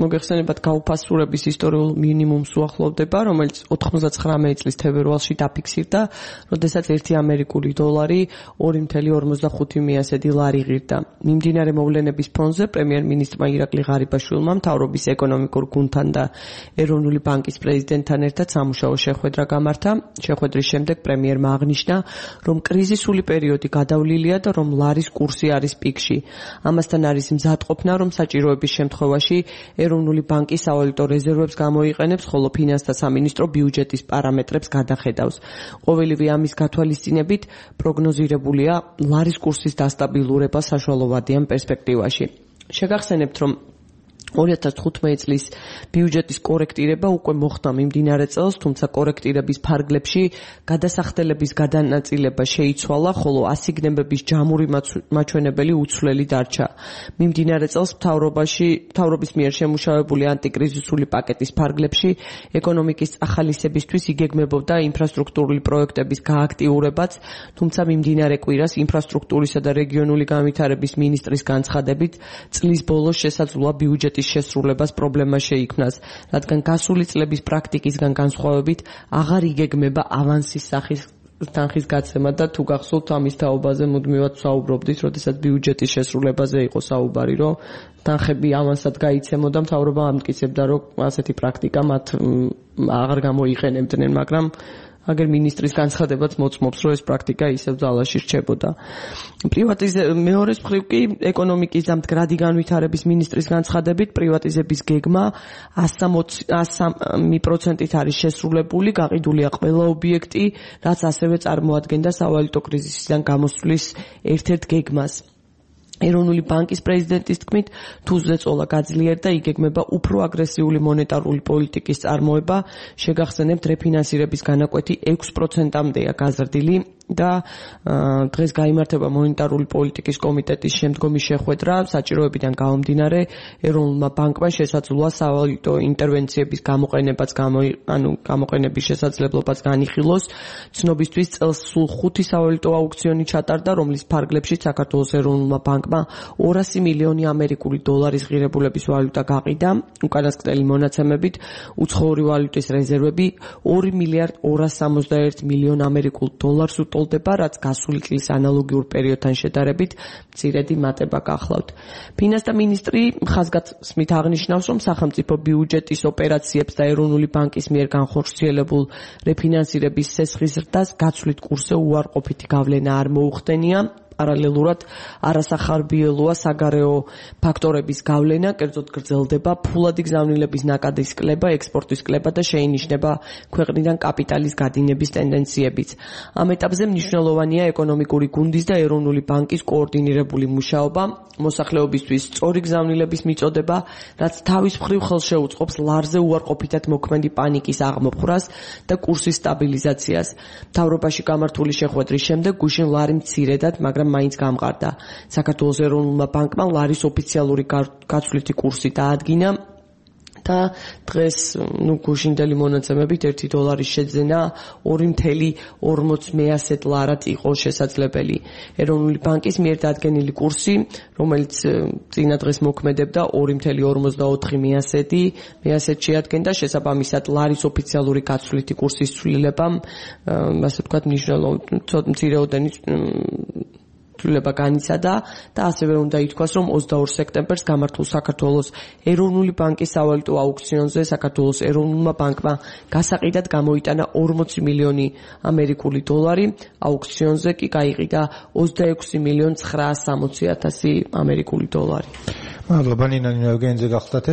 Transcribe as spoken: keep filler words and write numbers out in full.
მოგეხსენებათ გაუფასურების ისტორიულ მინიმუმს უახლოვდება, რომელიც ოთხმოცდათხრამეტი წლის თებერვალში დაფიქსირდა, როდესაც ერთი ამერიკული დოლარი ორი ათეული ორმოცდახუთი მიასედი ლარი ღირდა. მიმდინარე მოვლენების ფონზე პრემიერ-მინისტრმა ირაკლი ღარიბაშვილმა მთავრობის ეკონომიკურ გუნდთან და ეროვნული ბანკის პრეზიდენტთან ერთად სამუშაო შეხვედრა გამართა. შეხვედრის შემდეგ პრემიერმა აღნიშნა, რომ კრიზისული პერიოდი გადავლილია და რომ ლარის კურსი არის პიკში. ამასთან არის მზადყოფნა, რომ საჭიროების შემთხვევაში ეროვნული ბანკი სავალუტო რეზერვებს გამოიყენებს, ხოლო ფინანსთა სამინისტრო ბიუჯეტის პარამეტრებს გადახედავს. ყოველივე ამის გათვალისწინებით პროგნოზირებულია ლარის კურსის დასტაბილურება საშუალოვადიან პერსპექტივაში. შეგახსენებთ, რომ ორი ათას თხუთმეტი წლის ბიუჯეტის კორექტირება უკვე მოხდა მიმდინარე წელს, თუმცა კორექტირების ფარგლებში გადასახდელების გადანაწილება შეიცვალა, ხოლო ასიგნებების ჯამური მაჩვენებელი უცვლელი დარჩა. მიმდინარე წელს მთავრობაში მთავრობის მიერ შემუშავებული ანტიკრიზისული პაკეტის ფარგლებში ეკონომიკის ახალისებისთვის იგეგმებოდა ინფრასტრუქტურული პროექტების გააქტიურებაც, თუმცა მიმდინარე კვირას ინფრასტრუქტურისა და რეგიონული განვითარების მინისტრის განცხადებით წლის ბოლოს შესაძლოა ბიუჯეტის შესრულებას პრობლემა შეიქმნას, რადგან გასული წლების პრაქტიკისგან განსხვავებით აღარ იგეგმება ავანსის სახის თანხის გაცემა და თუ გახსოვთ ამის თაობაზე მუდმივად საუბრობდით, როდესაც ბიუჯეტის შესრულებაზე იყო საუბარი, რომ თანხები ავანსად გაიცემოდა, მთავრობა ამტკიცებდა, რომ ასეთი პრაქტიკა მათ აღარ გამოიყენებდნენ, მაგრამ აგერ მინისტრის განცხადებაც მოწმობს, რომ ეს პრაქტიკა ისევ ძალაში რჩებოდა. მეორეს მხრივ კი ეკონომიკის და მდგრადი განვითარების მინისტრის განცხადებით პრივატიზების გეგმა ასი პროცენტით არის შესრულებული, გაყიდულია ყველა ობიექტი, რაც ასევე წარმოადგენდა სავალუტო კრიზისიდან გამოსვლის ერთ-ერთ გეგმას. ეროვნული ბანკის პრეზიდენტის თქმით, თუ ზეწოლა გაძლიერდა, იგეგმება უფრო აგრესიული მონეტარული პოლიტიკის წარმოება, შეგახსენებთ რეფინანსირების განაკვეთი ექვს პროცენტამდეა გაზრდილი და დღეს გაიმართება მონეტარული პოლიტიკის კომიტეტის შემდგომი შეხვედრა, საჭიროებიდან გამომდინარე ეროვნულმა ბანკმა შესაძლოა სავალუტო ინტერვენციების გამოყენებაც ანუ გამოყენების შესაძლებლობაც განიხილოს. ცნობისთვის წელს სულ ხუთი სავალუტო აუქციონი ჩატარდა, რომლის ფარგლებში საქართველოს ეროვნულმა ბანკმა ორასი მილიონი ამერიკული დოლარის ღირებულების ვალუტა გაყიდა. უკანასკნელი მონაცემებით უცხოური ვალუტის რეზერვები ორი მილიარდ ორასი სამოცდაერთი მილიონ ამერიკულ დოლარს უტოლდება, რაც გასული წლის ანალოგიურ პერიოდთან შედარებით მცირედი მატება გახლავთ. ფინანსთა მინისტრი ხაზგასმით აღნიშნავს, რომ სახელმწიფო ბიუჯეტის ოპერაციებს და ეროვნული ბანკის მიერ განხორციელებულ რეფინანსირების სესხის ზრდას გაცვლით კურსზე უარყოფითი გავლენა არ მოუხდენია. პარალელურად არასახარბიელოა საგარეო ფაქტორების გავლენა, კერძოდ გრძელდება ფულადი გზავნილების ნაკადის კლება, ექსპორტის კლება და შეინიშნება ქვეყნიდან კაპიტალის გადინების ტენდენციებიც. ამ ეტაპზე მნიშვნელოვანია ეკონომიკური გუნდის და ეროვნული ბანკის კოორდინირებული მუშაობა, მოსახლეობისთვის სწორი გზავნილების მიწოდება, რაც თავის მხრივ ხელს შეუწყობს ლარზე უარყოფითად მოქმედი პანიკის აღმოფხვრას და კურსის სტაბილიზაციას. მთავრობაში გამართული შეხვედრის შემდეგ გუშინ ლარი მცირედად, მაგრამ მაინც გამყარდა. საქართველოს ეროვნულმა ბანკმა ლარის ოფიციალური გაცვლითი კურსი დაადგინა და დღეს ნუ გუშინდელი მონაცემებით ერთი დოლარის შეძენა ორი ათეული ორმოცი მეასედ ლარად იყო შესაძლებელი. ეროვნული ბანკის მიერ დადგენილი კურსი, რომელიც წინა დღეს მოქმედებდა ორი ათეული ორმოცდაოთხი მეასედი, მეასედ შეადგენდა, შესაბამისად ლარის ოფიციალური გაცვლითი კურსის ცვლილებამ, ასე ვთქვათ, მნიშვნელოვანი მცირეოდენი ცვლილება განიცადა და ასევე უნდა ითქვას, რომ ოცდაორ სექტემბერს გამართულ საქართველოს ეროვნული ბანკის სავალუტო აუქციონზე საქართველოს ეროვნულმა ბანკმა გასაყიდად გამოიტანა ორმოცი მილიონი ამერიკული დოლარი, აუქციონზე კი გაიყიდა ოცდაექვსი მილიონ ცხრაასი სამოცი ათასი ამერიკული დოლარი. მადლობა ნინო, ევროგენზე გახლდათ ეს